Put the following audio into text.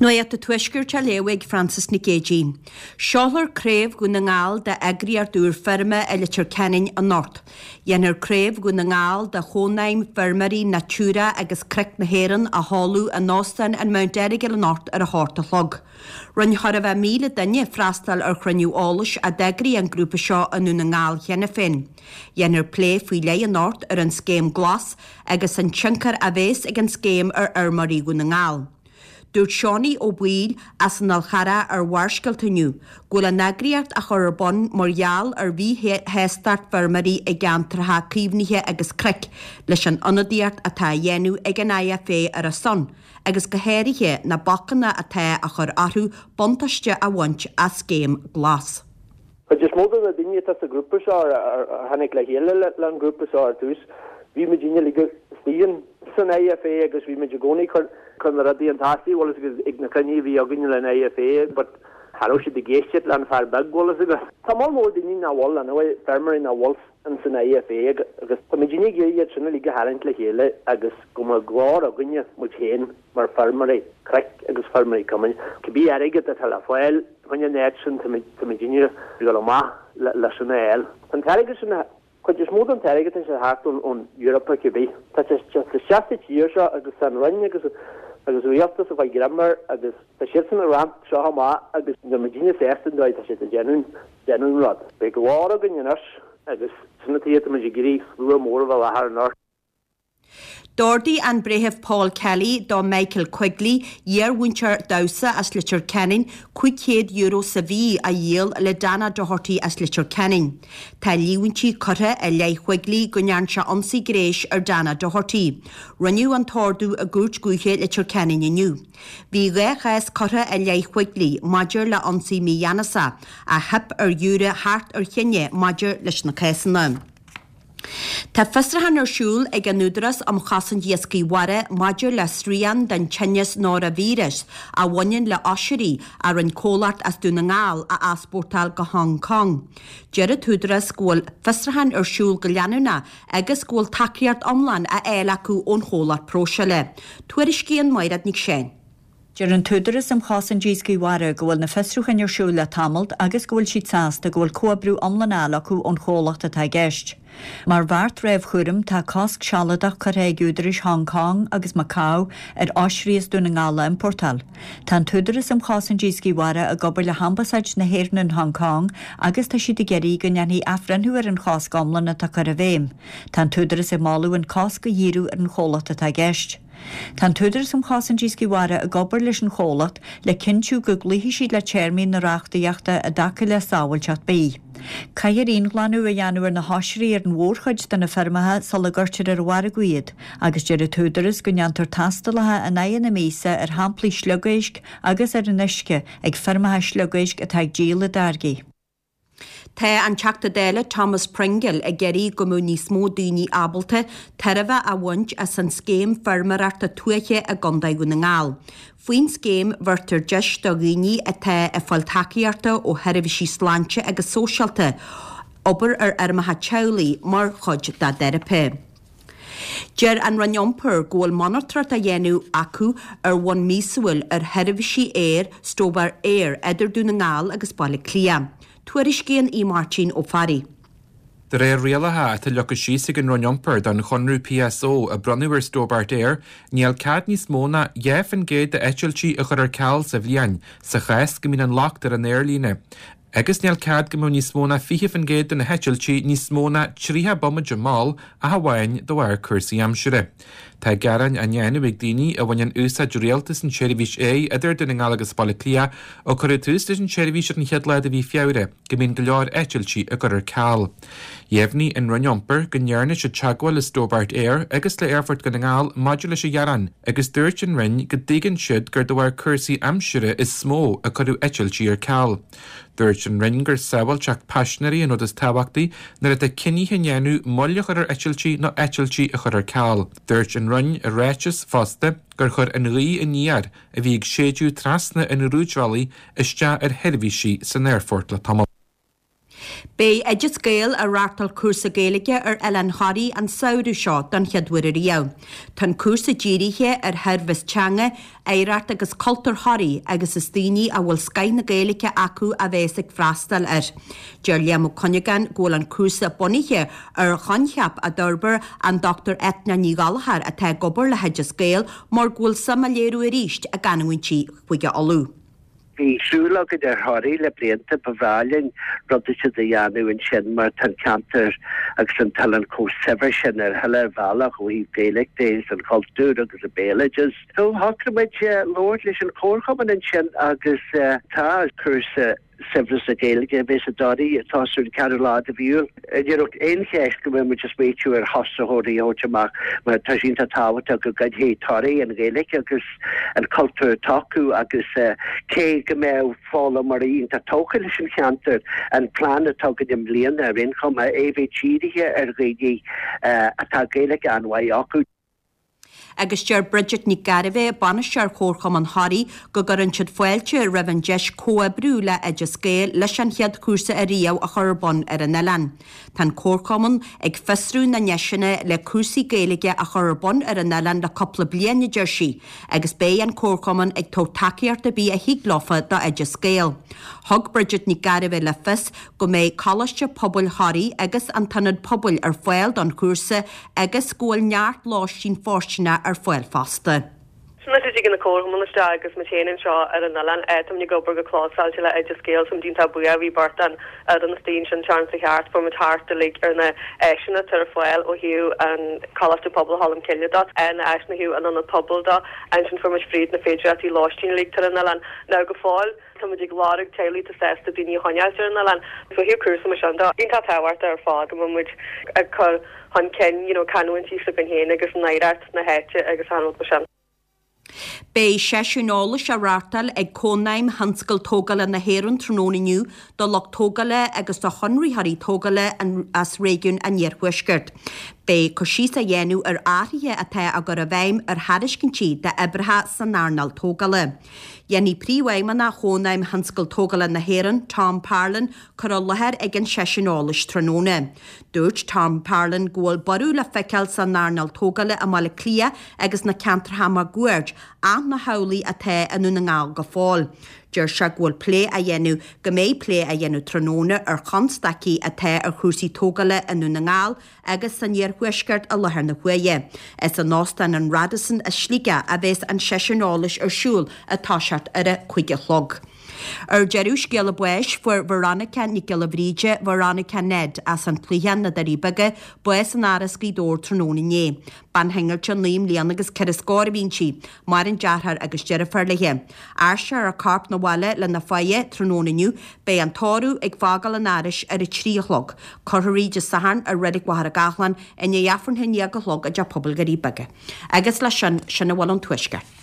Nuacht an Tuaiscirt á léamh ag Frances Nic Géadaigh. Seolfar Craobh Dhún na nGall d'eagraíocht úr feirme i Leitir Ceanainn anocht. Dhéanfar Craobh Dhún na nGall de Chónaidhm Feirmeoirí Natura agus Cnoic na hÉireann a sheoladh in Óstán an Mount Errigal anocht ar a hocht a chlog. Rinne chóir a bheith 1,000 duine freastal ar chruinniú eolais a d'eagraigh an grúpa seo i nDún na nGall cheana féin. Dhéanfar plé faoi leith anocht ar an Scéim Glas agus an tionchar a bhéas ag an scéim ar fheirmeoirí Dhún na nGall. Dúirt Seánie Ó Baoill as an Fhál Charrach ar Bharrscéalta inniu go bhfuil an eagraíocht á chur ar bun mar gheall ar mhíshástacht feirmeoirí i gceantracha caomhnaithe agus cnoic leis an ionadaíocht atá á dhéanamh ag an IFA ar a son agus go háirithe na bacanna atá á chur orthu buntáiste a bhaint as scéim Glas. Cuid is mó de na daoine atá sa ghrúpa seo a tháinig le chéile le an grúpa seo ar tús, bhí muid uilig istigh san IFA agus bhí muid i gcónaí cur cur na rudaí chun tosaigh, bhfuil fhios agat, ag na cruinnithe a bhí againn le an IFA but cha raibh siad ag éisteacht le an fear beag, bhfuil fhios agat. Tá moll mór daoine nach bhfuil, anyway, feirmeoirí nach bhfuil in san IFA agus tá muid ag iarraidh iad sin uilig a tharraingt le chéile agus go mbeadh glór againne, muid féin. mar feirmeoirí cnoic agus feirmeoirí cumainn. Cibé airgead atá le fáil chuig an áit sin, táimid ag dul amach leis sin a fháil. Tá an t-airgead sin, cuid is mó den t-airgead tá sé thart ón Eoraip cibé. Tá sé isteach sa tír seo agus tá an Roinn agus agus rialtas ag fáil greim air agus tá siadsan ag roinnt seo amach agus níl muidinne sásta an dóigh atá siad ag déanamh déanamh an rud. Beidh glór againn anois agus sin an tuige táimid ag iarraidh slua mór a bheith i láthair anocht. D'ordaigh an Breitheamh Paul Kelly do Michael Quigley, iarmhúinteoir damhsa as Leitir Ceanainn, €500 sa mhí a dhíol le Dana Doherty as Leitir Ceanainn. Tá líomhaintí curtha i leith Quigley go ndearn sé ionsaí gnéis ar Dana Doherty. Rinneadh an t-ordú i gCúirt Dhúiche Leitir Ceanainn inniu. Bhí 2 chás curtha i leith Quigley maidir le ionsaí mígheanasach, ach theip ar ghiúiré theacht ar chinneadh maidir leis na cásanna. Tá fiosrúchán ar siúl ag an Údarás um Chosaint Iascaigh Mhara maidir le srian den tinneas noraivíreas a bhaineann le hoisrí a rinne comhlacht as Dún na nGall a easpórtáil go Hong Cong. Deir an tÚdarás go bhfuil fiosrúchán ar siúl go leanúnach agus go bhfuil tacaíocht iomlán á fháil acu ón chomhlacht próiseála. Tuairiscíonn Mairéad Nic Seáin. Deir an tÚdarás um Chosaint Iascaigh Mhara go bhfuil na fiosrúcháin ar siúl le tamalt agus go bhfuil siad sásta go bhfuil comhoibriú iomlán á fháil acu ón chomhlacht atá i gceist. Mar bheart réamhchúraim tá cosc sealadach curtha ag údaráis Hong Cong agus Macau ar oisrí as Dún na nGall a iompórtáil. Tá an tÚdarás um Chosaint Iascaigh Mhara ag obair le hAmbasáid na hÉireann in Hong Cong agus tá siad ag iarraidh go ndéanfaí athbhreithniú ar an chosc iomlán atá curtha i bhfeidhm. Tá an tÚdarás ag moladh an cosc a dhíriú ar an chomhlacht atá i gceist. Tá an tÚdarás um Chosaint Iascaigh Mhara ag obair leis an chomhlacht le cinntiú go gcloífidh siad le téarmaí na reachtaíochta i dtaca le sábháilteacht bídh. Caithfear íonghlanadh a dhéanamh ar na hoisrí ar an mhórchuid de na feirmeacha sula gcuirtear ar an mhargadh iad agus deir an tÚdarás go ndéantar tástálacha in aghaidh na míosa ar shamplaí sliogéisc agus ar an uisce ag feirmeacha sliogéisc atá ag díol a dtáirgí. Tá an Teachta Dála Thomas Pringle ag iarraidh go mbeadh níos mó daoine ábalta tairbhe a bhaint as an scéim feirmeoireachta tuaithe i gContae Dhún na nGall. Faoin scéim bheirtear deis do dhaoine atá ag fáil tacaíochta ó sheirbhísí sláinte agus sóisialta obair ar fheirmeacha teaghlaigh mar chuid dá dteiripe. Deir an Roinn Iompair go bhfuil monatóireacht á dhéanamh acu ar bhonn míosúil ar sheirbhísí aeir Stobart Air idir Dún na nGall agus Baile Átha Cliath. Tuairiscíonn Aodh Máirtín Ó Fearraigh. De réir rialacha atá leagtha síos ag an Roinn Iompair don chonradh PSO a bronnadh ar Stobart Air, níl cead níos mó ná 2% d'eitiltí a chur ar ceal sa bhliain, sa chás go mbíonn an locht ar an aerlíne. Agus níl cead go mbeadh níos mó ná 20% de na heitiltí níos mó ná 30 bomaite mall ach amháin de bharr cúrsaí aimsire. Tá gearáin á ndéanamh ag daoine a bhaineann úsáid rialta as an tseirbhís aeir idir Dún na nGall agus Baile Átha Cliath ó cuireadh tús leis an tseirbhís ar an chéad lá de mhí Feabhra go mbíonn go leor eitiltí á gcur ar ceal. Dheimhnigh an Roinn Iompair go ndearna siad teagmháil le Stobart Air agus le Aerfort Dhún na nGall maidir leis an ghearán agus dúirt an Roinn go dtuigeann siad gur de bharr cúrsaí aimsire is mó a cuireadh eitiltí ar ceal. Dúirt an Roinn gur sábháilteacht paisinéirí an rud is tábhachtaí nuair atá cinnithe á ndéanamh moill a chur ar eitiltí nó eitiltí a chur ar ceal. Dúirt an Roinn i ráiteas fosta gur chuir an ghaoth aniar a bhí ag séideadh trasna an rúidbhealaigh isteach ar sheirbhísí san aerfort le tamall. Beidh Oideas Gael ag reáchtáil cúrsa Gaeilge ar Oileán Thoraí an samhradh seo don chéad uair ariamh. Tá an cúrsa dírithe ar shaibhreas teanga, oidhreacht agus cultúr Thoraí agus is daoine a bhfuil scoith na Gaeilge acu a bheas ag freastal air. Deir Liam Ó Cuinneagáin go bhfuil an cúrsa bunaithe ar choincheap a d'fhorbair an Dr Eithne Ní Ghallchóir atá ag obair le hOideas Gael mar go bhfuil suim á léiriú arís i gcanúintí Chúige Uladh. Bhí súil againn ar Thoraigh le blianta, ba bhreá linn rud eicínt a dhéanamh ansin mar tá an ceantar agus an t-oileán chomh saibhir sin ar chuile bhealach ó thaobh Gaeilge de is an chultúr agus an béaloideas. So shocraigh muid labhairt leis an chomharchumann ansin agus tá cúrsa Saibhreas na Gaeilge a bheas i dToraigh ag tosú an ceathrú lá de mhí Iúil. Ní raibh aon cheist go mbeadh muid ag smaoitiú ar thosaitheoirí a thabhairt amach mar tá sé iontach tábhachtach go gcoinnfidh Toraigh an Ghaeilge agus an cultúr atá acu agus cé go mbeadh foghlaimeoirí iontach tógtha leis an cheantar, an plean atá againn i mbliana ar aon chuma é bheith dírithe ar dhaoine atá Gaeilge an-mhaith acu. Agus deir Bridget Nic Gairbheith, Bainisteoir Chomharchumann Thoraí, go gcuireann siad fáilte roimh an deis comhoibriú le Oideas Gael leis an chéad chúrsa ariamh a chur ar bun ar an oileán. Tá an Comharchumann ag fiosrú na ndeiseanna le cúrsaí Gaeilge a chur ar bun ar an oileán le cúpla bliain, a deir sí, agus beidh an Comharchumann ag tabhairt tacaíocht ar bith a thig leofa do Oideas Gael. Thug Bridget Nic Gairbheith le fios go mbeidh Coláiste Pobail Thoraí agus an tIonad Pobail ar fáil don chúrsa agus go bhfuil neart lóistín fóirsteanach ar fáil fosta. Anois a dtigeann na comharchumainn isteach agus muid féin anseo ar an oileán, táimid ag obair go clósáilte le Oideas Gael, so muid iontach buíoch, bhí beirt den fhoireann istigh ansin an tseachtain seo thart, fuair muid thart uilig ar na áiseanna atá ar fáil ó thaobh an Coláiste Pobail Cholm Cille de, na áiseanna ó thaobh an Ionad Pobail de, ansin fuair muid fríd na féidireachtaí lóistín uilig atá ar an oileán. Now go fóill. Tá muid ag lorg teaghlaigh atá sásta daoine a choinneáilt ar an oileán. So ó thaobh cúrsa mar sin de, iontach tábhachtach ar fad go mbeidh muid ag cur chun cinn you know canúintí s'againn féin agus an oidhreacht na háite agus achan rud mar sin. Beidh seisiún eolais á reáchtáil ag Cónaidhm Thionscal Tógála na hÉireann tráthnóna inniu do lucht tógála agus do chonraitheoirí tógála as réigiún an Iarthuaiscirt. Beidh cur síos á dhéanamh ar athruithe atá á gcur i bhfeidhm ar thairiscintí d'oibreacha san earnáil tógála. Dhéanfaidh Príomhfheidhmeannach Chónaidhm Thionscal Tógála na hÉireann, Tom Parlon, cur i láthair ag an seisiún eolais tráthnóna. Dúirt Tom Parlon go bhfuil borradh le feiceáil san earnáil tógála i mBaile Átha Cliath agus na ceantracha máguaird ach nach amhlaidh atá i nDún na nGall go fóill. Deir sé go bhfuil plé á dhéanamh go mbeidh plé á dhéanamh tráthnóna ar chonstaicí atá ar chúrsaí tógála i nDún na nGall agus san iarthuaisceart i láthair na huaire. Is in Óstán an Radisson i Sligeach a bheas an seisiún eolais ar siúl ag toiseacht ar a 5 a chlog. Ar deireadh, scéala báis, fuair Veronica Nic Giolla Bhríde, Veronica Ned, as an Chloicheán, na Doirí Beaga, bás in Áras Ghaoth Dobhair tráthnóna inné. Bean shingillte naoi mbliana agus ceithre scór a bhí inti. Maireann deartháir agus deirfiúr léi. Aistreofar a corp 'na bhaile lena faire tráthnóna inniu. Beidh an tórramh ag fágáil an Árais ar a 3 a chlog. Cuirfear í Dé Sathairn i Reilig Mhachaire Gathlán i ndiaidh Aifreann a haon déag a chlog i dTeach Pobail Dhoirí Beaga. Agus leis sin, sin a bhfuil ón Tuaisceart.